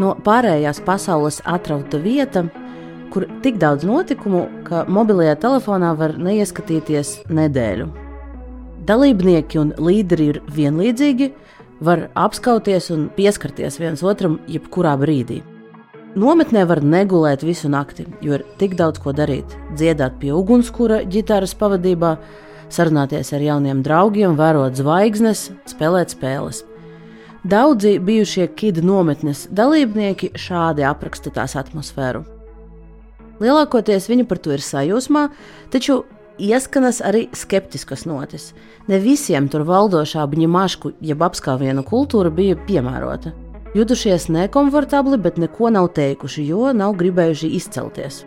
No pārējās pasaules atrauta vieta, kur tik daudz notikumu, ka mobilajā telefonā var neieskatīties nedēļu. Dalībnieki un līderi ir vienlīdzīgi, var apskauties un pieskarties viens otram jebkurā brīdī. Nometnē var negulēt visu nakti, jo ir tik daudz ko darīt. Dziedāt pie ugunskura ģitāras pavadībā, sarunāties ar jauniem draugiem, vērot zvaigznes, spēlēt spēles. Daudzi bijušie KID nometnes dalībnieki šādi apraksta tās atmosfēru. Lielākoties viņi par to ir sajūsmā, taču ieskanas arī skeptiskas notis. Ne visiem tur valdošā bņimašku jeb apskāvienu kultūra bija piemērota. Jutušies nekomfortabli, bet neko nav teikuši, jo nav gribējuši izcelties.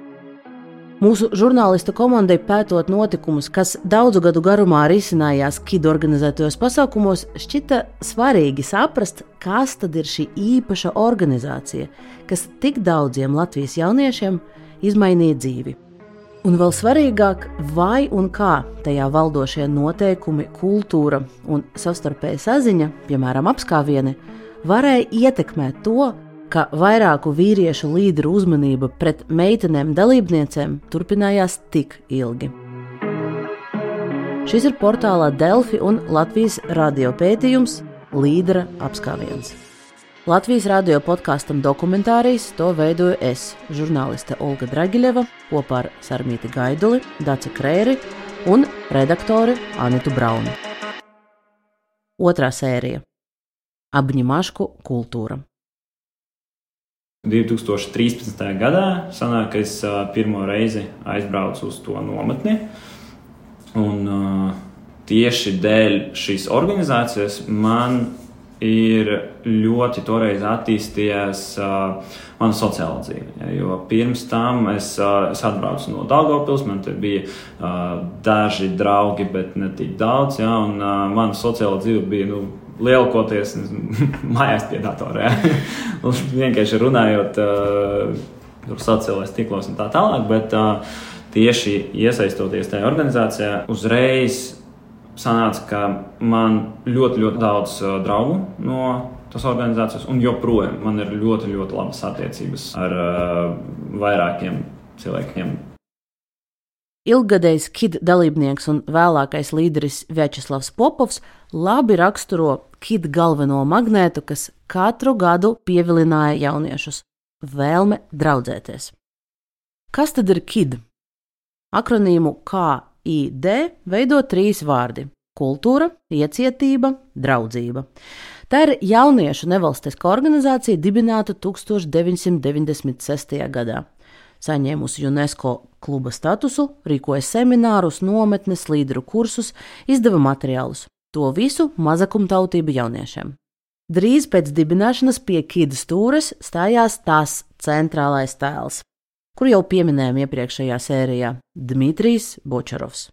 Mūsu žurnālistu komandai pētot notikumus, kas daudzu gadu garumā risinājās KID organizētajos pasākumos, šķita svarīgi saprast, kas tad ir šī īpaša organizācija, kas tik daudziem Latvijas jauniešiem izmainīja dzīvi. Un vēl svarīgāk, vai un kā tajā valdošie noteikumi, kultūra un savstarpēja saziņa, piemēram, apskāvieni, varēja ietekmēt to, ka vairāku vīriešu līderu uzmanība pret meitenēm dalībniecēm turpinājās tik ilgi. Šis ir portālā Delfi un Latvijas radio pētījums Līdera apskāviens. Latvijas radio podkastam Dokumentārijas to veidoju es, žurnāliste Olga Dragiļeva, kopā ar Sarmīti Gaiduli, Daci Krēri un redaktori Anitu Brauni. Otrā sērija – Apņimašku kultūra. 2013. gadā sanāk, ka es pirmo reizi aizbraucu uz to nometni. Un tieši dēļ šīs organizācijas man ir ļoti toreiz attīstījies mana sociāla dzīve. Ja, jo pirms tam es atbraucu no Daugavpils, man te bija daži draugi, bet ne tik daudz. Ja, un mana sociāla dzīve bija lielākoties mājās pie datora. Ja. Vienkārši runājot sociālajos tīklos un tā tālāk, bet tieši iesaistoties tajā organizācijā, uzreiz sanāca, ka man ļoti, ļoti daudz draugu no tās organizācijas, un joprojām man ir ļoti, ļoti labas attiecības ar vairākiem cilvēkiem. Ilggadējs KID dalībnieks un vēlākais līderis Vjačeslavs Popovs labi raksturo KID galveno magnētu, kas katru gadu pievilināja jauniešus – vēlme draudzēties. Kas tad ir KID? Akronīmu KID veido 3 vārdi – kultūra, iecietība, draudzība. Tā ir jauniešu nevalstiska organizācija dibināta 1996. gadā. Saņēmusi UNESCO kluba statusu, rīkoja seminārus, nometnes, līderu kursus, izdeva materiālus. To visu mazakumtautību jauniešiem. Drīz pēc dibināšanas pie KID stūres stājās tās centrālais tēls, kur jau pieminējām iepriekšējā sērijā – Dmitrijs Bočarovs.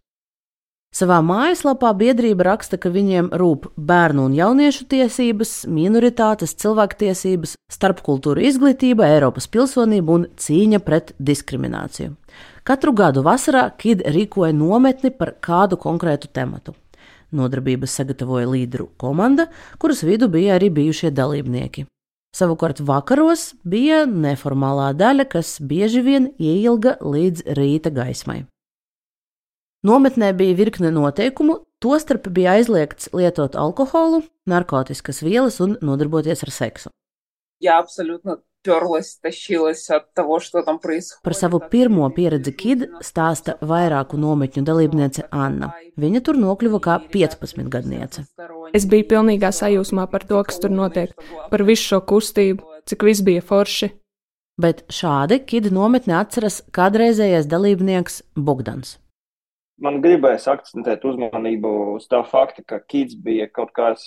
Savā mājaslapā biedrība raksta, ka viņiem rūp bērnu un jauniešu tiesības, minoritātes, cilvēktiesības, starpkultūru izglītība, Eiropas pilsonība un cīņa pret diskrimināciju. Katru gadu vasarā KID rīkoja nometni par kādu konkrētu tematu. Nodarbības sagatavoja līderu komanda, kuras vidu bija arī bijušie dalībnieki. Savukārt vakaros bija neformālā daļa, kas bieži vien ieilga līdz rīta gaismai. Nometnē bija virkne noteikumu, tostarp bija aizliegts lietot alkoholu, narkotiskas vielas un nodarboties ar seksu. Я абсолютно тёрлась, тащилась от того, что там происходит. Par savu pirmo pieredzi KID stāsta vairāku nometņu dalībniece Anna. Viņa tur nokļuva kā 15-gadniece. Es biju pilnīgā sajūsmā par to, kas tur notiek, par visu šo kustību, cik viss bija forši. Bet šādi KID nometni atceras kādreizējais dalībnieks Bogdans. Man gribējās akcentēt uzmanību uz tā fakta, ka KIDS bija kaut kāds,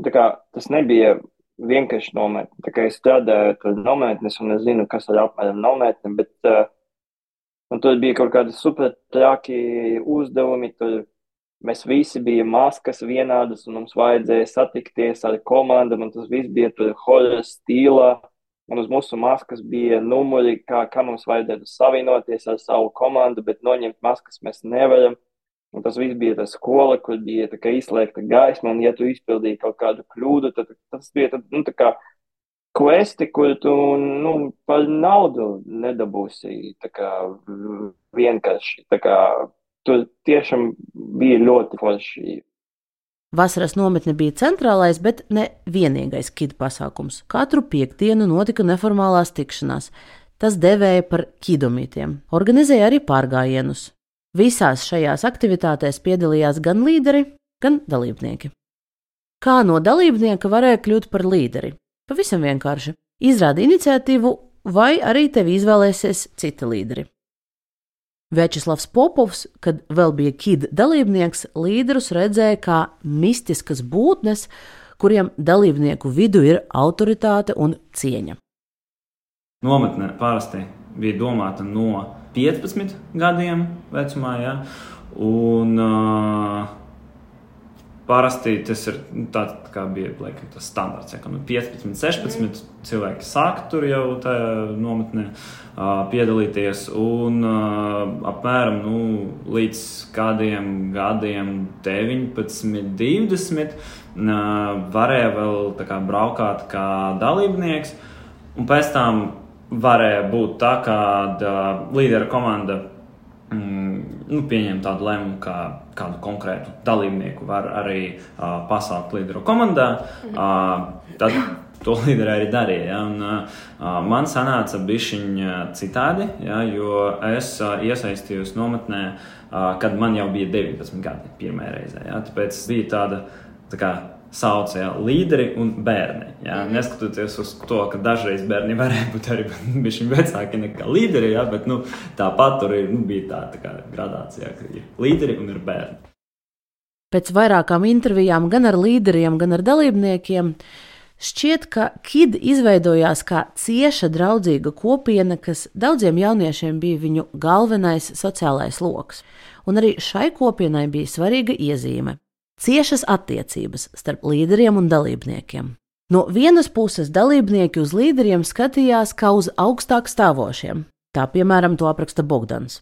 tas nebija vienkārši nometne. Tā kā es strādāju ar nometnes un es zinu, kas ir apmēram nometne, bet tur bija kaut kādi super traki uzdevumi, tur mēs visi bija maskas vienādas un mums vajadzēja satikties ar komandam un tas viss bija tur horror stīlā. Un uz mūsu maskas bija numuri, kā mums vajadzētu savienoties ar savu komandu, bet noņemt maskas mēs nevaram. Un tas viss bija tā skola, kur bija tā kā izslēgta gaisma, un ja tu izpildīji kaut kādu kļūdu, tad tas bija kvesti, kur tu, par naudu nedabūsi, tā kā vienkārši, tā kā tur tiešām bija ļoti forši. Vasaras nometne bija centrālais, bet ne vienīgais KID pasākums. Katru piekdienu notika neformālās tikšanās. Tas devēja par kidomītiem. Organizēja arī pārgājienus. Visās šajās aktivitātēs piedalījās gan līderi, gan dalībnieki. Kā no dalībnieka varēja kļūt par līderi? Pavisam vienkārši. Izrādi iniciatīvu, vai arī tevi izvēlēsies citi līderi. Večeslavs Popovs, kad vēl bija KID dalībnieks, līderus redzēja kā mistiskas būtnes, kuriem dalībnieku vidu ir autoritāte un cieņa. Nometne parasti bija domāta no 15 gadiem vecumā, ja? Un parasti tas ir tāds, kā bija tas standarts, ja? 15, 16 cilvēki sāk tur jau tajā nometnē piedalīties, un apmēram līdz kādiem gadiem 19, 20 varēja vēl tā kā braukāt kā dalībnieks, un pēc tam varēja būt tā, ka līdera komanda pieņem tādu lēmumu, ka kādu konkrētu dalībnieku var arī pasaukt līderu komandā. Tad to līderi arī darīja. Ja? Un, man sanāca bišķiņ citādi, ja? Jo es iesaistījos nometnē, kad man jau bija 19 gadi pirmajā reizē. Ja? Tāpēc bija tāda tā kā sauc, ja, līderi un bērni. Ja? Neskatoties uz to, ka dažreiz bērni varēja būt arī bišķiņ vecāki nekā līderi, ja? Bet tāpat tur bija tā kā gradācija, ka ir līderi un ir bērni. Pēc vairākām intervijām gan ar līderiem, gan ar dalībniekiem šķiet, ka KID izveidojās kā cieša draudzīga kopiena, kas daudziem jauniešiem bija viņu galvenais sociālais loks. Un arī šai kopienai bija svarīga iezīme – ciešas attiecības starp līderiem un dalībniekiem. No vienas puses dalībnieki uz līderiem skatījās kā uz augstāk stāvošiem. Tā, piemēram, to apraksta Bogdans.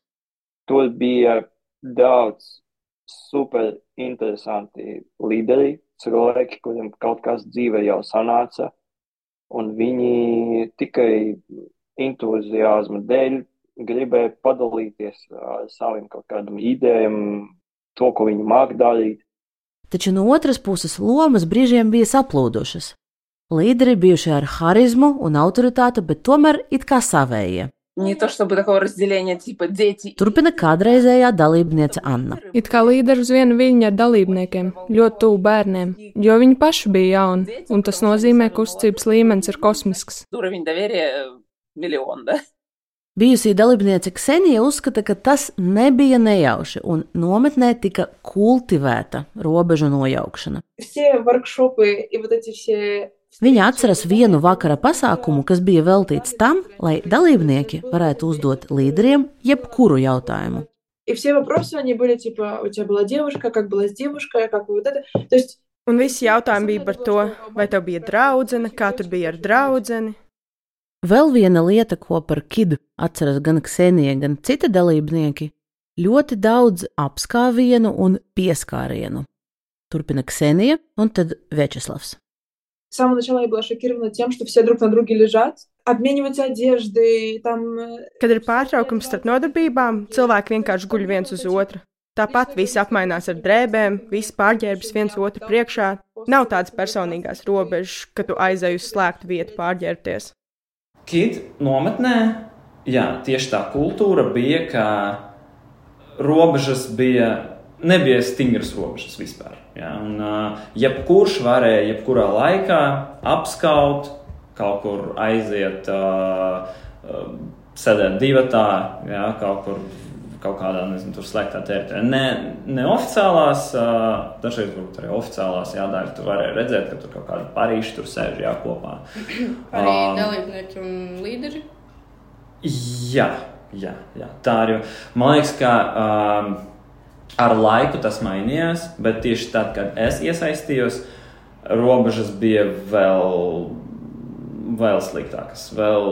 Tur bija daudz super interesanti līderi, cilvēki, kuriem kaut kas dzīvē jau sanāca, un viņi tikai entuziasma dēļ gribēja padalīties ar saviem kaut kādiem idejām, to, ko viņi māk darīt. Taču no otras puses lomas brīžiem bija saplūdušas. Līderi bijuši ar harizmu un autoritāti, bet tomēr it kā savējie. Не то чтобы такого разделения типа дети. Turpina kādreizējā dalībniece Anna. It kā līderi uz vienu viļņu ar dalībniekiem, ļoti tuvu bērniem, jo viņi paši bija jauni, un tas nozīmē, ka uzticības līmenis ir kosmisks. Уровень доверия миллион, да? Bijusī dalībniece Ksenija uzskata, ka tas nebija nejauši, un nometnē tika kultivēta robežu nojaukšana. Все воркшопы и вот эти все... Viņa atceras vienu vakara pasākumu, kas bija veltīts tam, lai dalībnieki varētu uzdot līderiem jebkuru jautājumu. И все вопросы, они были типа, у тебя была девушка, как была с девушкой, как вот это. То есть... Un visi jautājumi bija par to, vai tev bija draudzene, kā tur bija ar draudzeni. Vēl viena lieta, ko par KID atceras gan Ksenija, gan citi dalībnieki, ļoti daudz apskāvienu un pieskārienu. Turpina Ksenija un tad Večeslavs. С самого начала я была шокирована тем, что все друг на друге лежат, обмениваются одеждой, там... Kad ir pārtraukums starp nodarbībām, cilvēki vienkārši guļ viens uz otru. Tāpat visi apmainās ar drēbēm, visi pārģērbjas viens otru priekšā. Nav tādas personīgās robežas, ka tu aizej uz slēgtu vietu pārģērbties. KID nometnē, jā, tieši tā kultūra bija, ka robežas nebija stingras robežas vispār. Ja? Un, jebkurš varēja jebkurā laikā apskaut, kaut kur aiziet, sēdēt divatā, ja? kaut kādā, tur slēgtā teritorijā. Ne oficiālās, dažreiz varbūt arī oficiālās jādara, tu varēja redzēt, ka tur kaut kāda parīši tur sēž kopā. Arī dalībnieki un līderi? Jā, tā arī. Man liekas, ka ar laiku tas mainījās, bet tieši tad, kad es iesaistījos, robežas bija vēl sliktākas, vēl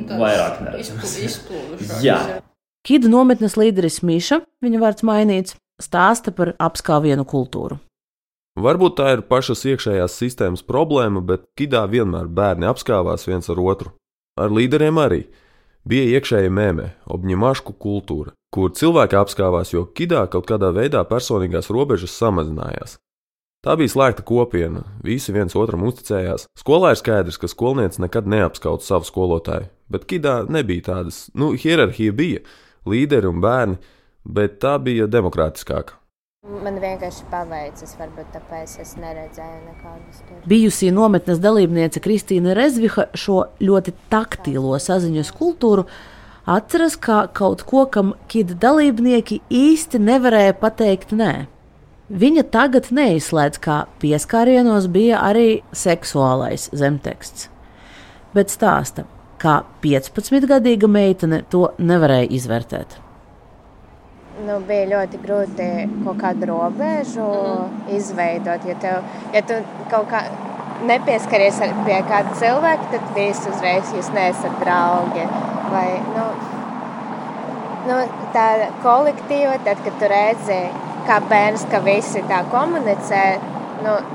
vairāk neredzamas. Jā. KID nometnes līderis Miša, viņa vārds mainīts, stāsta par apskāvienu kultūru. Varbūt tā ir pašas iekšējās sistēmas problēma, bet Kidā vienmēr bērni apskāvās viens ar otru. Ar līderiem arī. Bija iekšēja mēmē, obņemašku kultūra, kur cilvēki apskāvās, jo Kidā kaut kādā veidā personīgās robežas samazinājās. Tā bija slēgta kopiena, visi viens otram uzticējās. Skolā ir skaidrs, ka skolniece nekad neapskauta savu skolotāju, bet Kidā nebija tādas, hierarhija bija, līderi un bērni, bet tā bija demokrātiskāka. Man vienkārši paveicis, varbūt tāpēc es neredzēju nekādus tur. Bijusī nometnes dalībniece Kristīna Rezviha šo ļoti taktīlo saziņas kultūru atceras kā kaut ko, kam Kid dalībnieki īsti nevarēja pateikt nē. Viņa tagad neizslēdz, kā pieskārienos bija arī seksuālais zemteksts. Bet stāsta, kā 15-gadīga meitene to nevarēja izvērtēt. Bija ļoti grūti kaut kādu robežu izveidot, ja tu kaut kā nepieskaries pie kāda cilvēka, tad visu uzreiz jūs neesat draugi. Vai, tā kolektīva, tad, kad tu redzi, kā bērns, ka visi tā komunicē,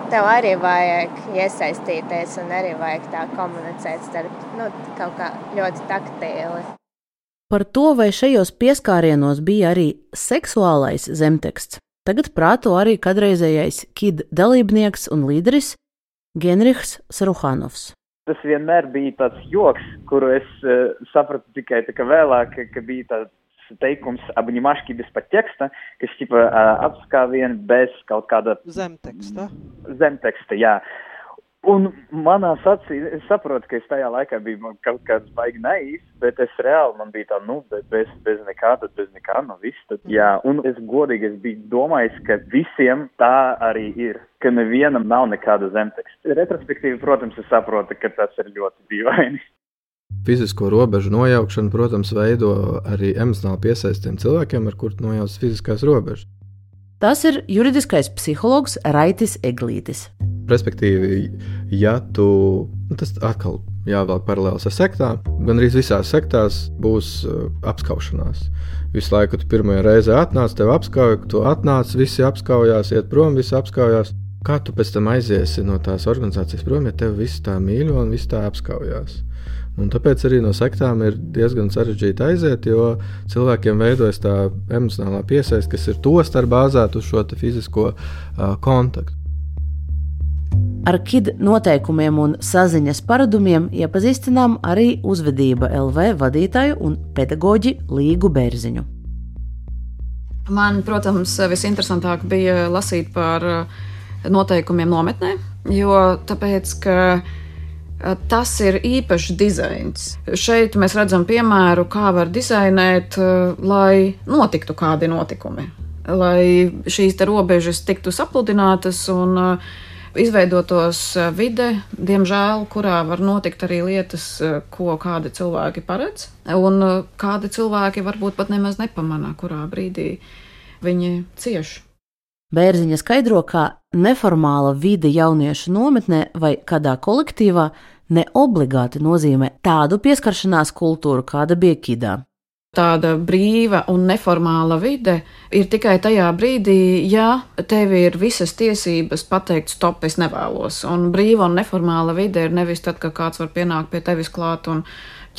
tev arī vajag iesaistīties un arī vajag tā komunicēt starp, kaut kā ļoti taktīli. Par to, vai šajos pieskārienos bija arī seksuālais zemteksts, tagad prāto arī kadreizējais Kid dalībnieks un līderis Genrichs Saruhanovs. Tas vienmēr bija tāds joks, kuru es sapratu tikai vēlāk, ka bija tāds teikums обнимашки без подтекста, kas apskāvieni bez kaut kāda zemteksta. Zemteksta, jā. Un manā acī, es saprotu, ka es tajā laikā biju kaut kāds baigi naivs, bet es reāli, man bija tā, bez nekā, tad bez nekā, viss, tad jā. Un es godīgi, es biju domājis, ka visiem tā arī ir, ka nevienam nav nekāda zemteksta. Retrospektīvi, protams, es saprotu, ka tas ir ļoti dīvaini. Fizisko robežu nojaukšana, protams, veido arī emocionāli piesaistiem cilvēkiem, ar kur nojauc fiziskās robežas. Tas ir juridiskais psihologs Raitis Eglītis. Respektīvi, ja tas atkal jāvelk paralēls ar sektām, gan arī visās sektās būs apskaušanās. Visu laiku tu pirmajā reizē atnāc, tev apskauja, tu atnāc, visi apskaujās, iet prom, visi apskaujās. Kā tu pēc tam aiziesi no tās organizācijas prom, ja tev visi tā mīļo un visi tā apskaujās? Un tāpēc arī no sektām ir diezgan sarežģīti aiziet, jo cilvēkiem veidojas tā emocionālā piesaiste, kas ir tostarp bāzēt uz šo fizisko kontaktu. Ar Kid noteikumiem un saziņas paradumiem iepazīstinām arī Uzvedība LV vadītāju un pedagoģi Līgu Bērziņu. Man, protams, visinteresantāk bija lasīt par noteikumiem nometnē, jo tāpēc, ka tas ir īpašs dizains. Šeit mēs redzam piemēru, kā var dizainēt, lai notiktu kādi notikumi, lai šīs te robežas tiktu sapludinātas un izveidotos vide, diemžēl, kurā var notikt arī lietas, ko kādi cilvēki paredz, un kādi cilvēki varbūt pat nemaz nepamanā, kurā brīdī viņi cieš. Bērziņa skaidro, ka neformāla vide jauniešu nometnē vai kādā kolektīvā neobligāti nozīmē tādu pieskaršanās kultūru, kāda bija Kidā. Tāda brīva un neformāla vide ir tikai tajā brīdī, ja tev ir visas tiesības pateikt stop, es nevēlos. Un brīva un neformāla vide ir nevis tad, ka kāds var pienākt pie tevis klāt un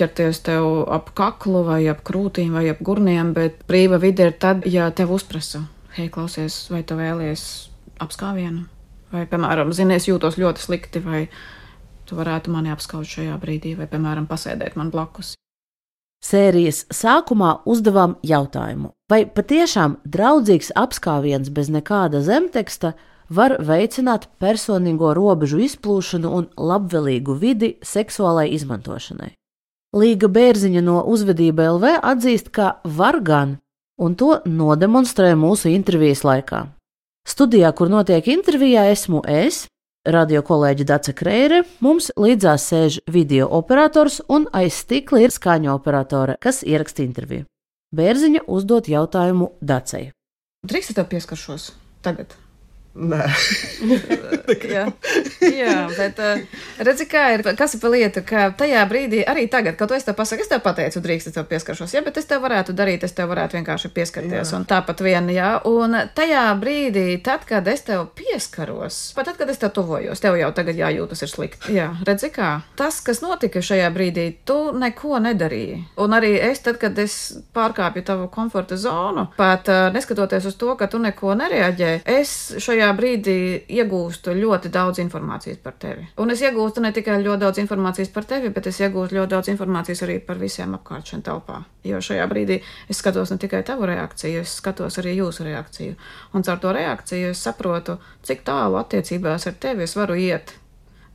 ķerties tev ap kaklu vai ap krūtīm vai ap gurniem, bet brīva vide ir tad, ja tev uzprasa. Hei, klausies, vai tu vēlies apskāvienu? Vai, piemēram, zini, es jūtos ļoti slikti, vai tu varētu mani apskaut šajā brīdī, vai, piemēram, pasēdēt man blakus. Sērijas sākumā uzdevām jautājumu, vai patiešām draudzīgs apskāviens bez nekāda zemteksta var veicināt personīgo robežu izplūšanu un labvēlīgu vidi seksuālai izmantošanai. Līga Bērziņa no Uzvedība LV atzīst, ka var gan, un to nodemonstrē mūsu intervijas laikā. Studijā, kur notiek intervijā, esmu es, radio kolēģi Dace Kreire, mums līdzās sēž video operators un aiz stikla ir skaņu operatore, kas ieraksta interviju. Bērziņa uzdot jautājumu Dacei. Drīkst tev pieskaršos tagad? Nē. Jā, bet Redzi, kā ir, kas ir pa lietu, ka tajā brīdī, arī tagad, kad tu esi tev pasaku, es tev pateicu, drīkst, es tev pieskaršos, jā, bet es tev varētu darīt, es tev varētu vienkārši pieskarties, un tāpat vien, jā, un tajā brīdī, tad, kad es tev pieskaros, pat tad, kad es tev tuvojos, tev jau tagad jājūtas ir slikti. Jā, redzi kā, tas, kas notika šajā brīdī, tu neko nedarīji, un arī es, tad, kad es pārkāpju tavu komforta zonu, pat neskatoties uz to, ka tu neko nereaģē, es šajā brīdī iegūstu ļoti daudz informācijas par tevi. Un es iegūstu ne tikai ļoti daudz informācijas par tevi, bet es iegūstu ļoti daudz informācijas arī par visiem apkārt šeit telpā. Jo šajā brīdī es skatos ne tikai tavu reakciju, es skatos arī jūsu reakciju. Un caur to reakciju es saprotu, cik tālu attiecībās ar tevi es varu iet.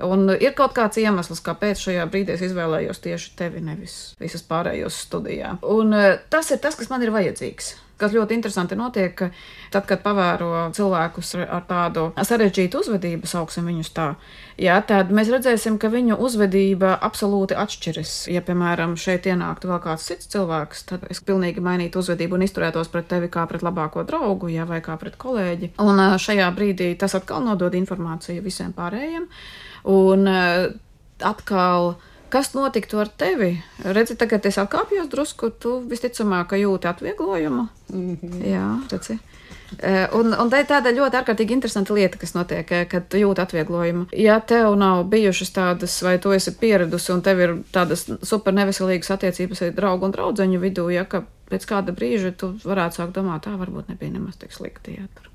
Un ir kaut kāds iemesls, kāpēc šajā brīdī es izvēlējos tieši tevi, nevis visas pārējos studijā. Un tas ir tas, kas man ir vajadzīgs. Kas ļoti interesanti notiek, ka tad, kad pavēro cilvēkus ar tādu sarežģītu uzvedību, sauksim viņus tā, jā, tad mēs redzēsim, ka viņu uzvedība absolūti atšķiras. Ja, piemēram, šeit ienāktu vēl kāds cits cilvēks, tad es pilnīgi mainītu uzvedību un izturētos pret tevi kā pret labāko draugu, jā, vai kā pret kolēģi. Un šajā brīdī tas atkal nodod informāciju visiem pārējiem. Un atkal... Kas notiktu ar tevi? Redzi, tagad es atkāpjos drusku, tu visticamāk jūti atvieglojumu. Jā, redzi. Un tāda ļoti ārkārtīgi interesanta lieta, kas notiek, kad tu jūti atvieglojumu. Ja tev nav bijušas tādas, vai tu esi pieradusi un tev ir tādas super neveselīgas attiecības ar draugu un draudzeņu vidū, ja ka pēc kāda brīža tu varētu sākt domāt, tā varbūt nebija nemaz tik slikti. Jā,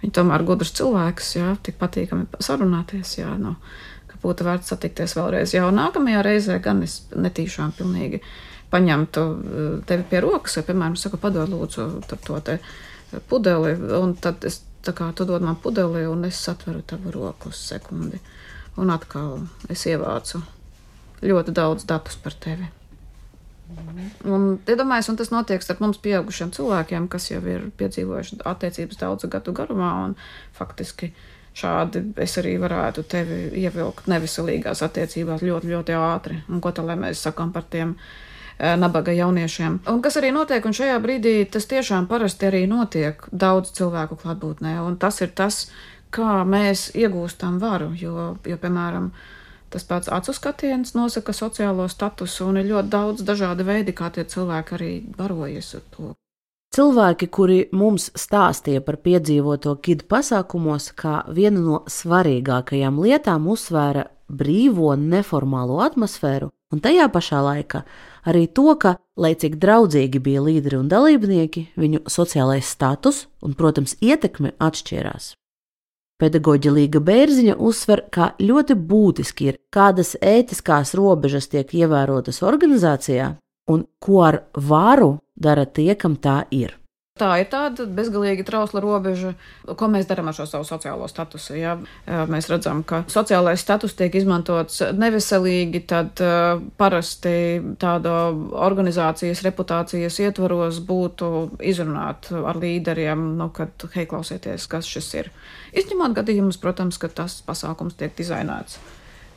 viņi tomēr gudrs cilvēks, jā, tik patīkami sarunāties, jā, no. Būtu vērts satikties vēlreiz. Jau nākamajā reizē gan es netīšām pilnīgi paņemtu tevi pie rokas, vai, piemēram, saku, padod lūdzu to te pudeli, un tad es, tā kā tu dod man pudeli, un es satveru tavu roku uz sekundi. Un atkal es ievācu ļoti daudz datus par tevi. Un, iedomājies, un tas notiek starp mums pieaugušiem cilvēkiem, kas jau ir piedzīvojuši attiecības daudzu gadu garumā, un faktiski šādi es arī varētu tevi ievilkt neveselīgās attiecībās ļoti, ļoti ātri. Un ko tā, lai mēs sakām par tiem nabaga jauniešiem. Un kas arī notiek, un šajā brīdī tas tiešām parasti arī notiek daudz cilvēku klātbūtnē. Un tas ir tas, kā mēs iegūstam varu, jo piemēram, tas pats acu skatiens nosaka sociālo statusu, un ir ļoti daudz dažādi veidi, kā tie cilvēki arī barojas ar to. Cilvēki, kuri mums stāstīja par piedzīvoto KID pasākumos, kā vienu no svarīgākajām lietām uzsvēra brīvo neformālo atmosfēru, un tajā pašā laikā arī to, ka, lai cik draudzīgi bija līderi un dalībnieki, viņu sociālais status un, protams, ietekme atšķirās. Pedagoģe Līga Bērziņa uzsver, kā ļoti būtiski ir, kādas ētiskās robežas tiek ievērotas organizācijā un ko ar varu dara tie, kam tā ir. Tā ir tāda bezgalīgi trausla robeža, ko mēs darām ar šo savu sociālo statusu. Ja? Mēs redzam, ka sociālais status tiek izmantots neveselīgi, tad parasti tāda organizācijas reputācijas ietvaros būtu izrunāt ar līderiem, kad, hei, klausieties, kas šis ir. Izņemot gadījumus, protams, ka tas pasākums tiek dizainēts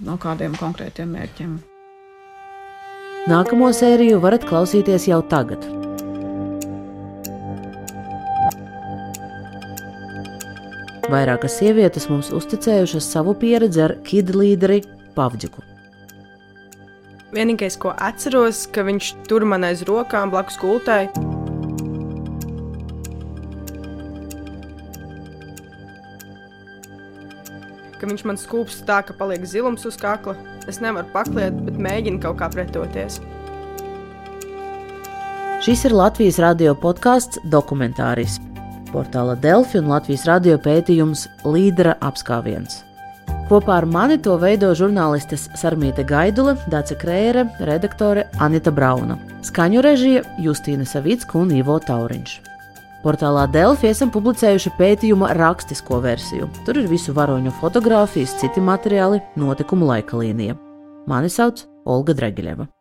no kādiem konkrētiem mērķiem. Nākamo sēriju varat klausīties jau tagad. Vairākas sievietes mums uzticējušas savu pieredzi ar KID līderi Pavģiku. Vienīgais, ko atceros, ka viņš tur man aiz rokām blakus gultai. Ka viņš man skūpst tā, ka paliek zilums uz kakla. Es nevaru pakliet, bet mēģinu kaut kā pretoties. Šis ir Latvijas radio podcasts Dokumentāris. Portāla Delfi un Latvijas radio pētījums Līdera apskāviens. Kopā ar mani to veido žurnālistes Sarmīte Gaidule, Dace Krējere, redaktore Anita Brauna. Skaņu režija Justīna Savicka un Ivo Tauriņš. Portālā Delfi esam publicējuši pētījuma rakstisko versiju. Tur ir visu varoņu fotogrāfijas, citi materiāli, notikumu laika līnija. Mani sauc Olga Dregiļeva.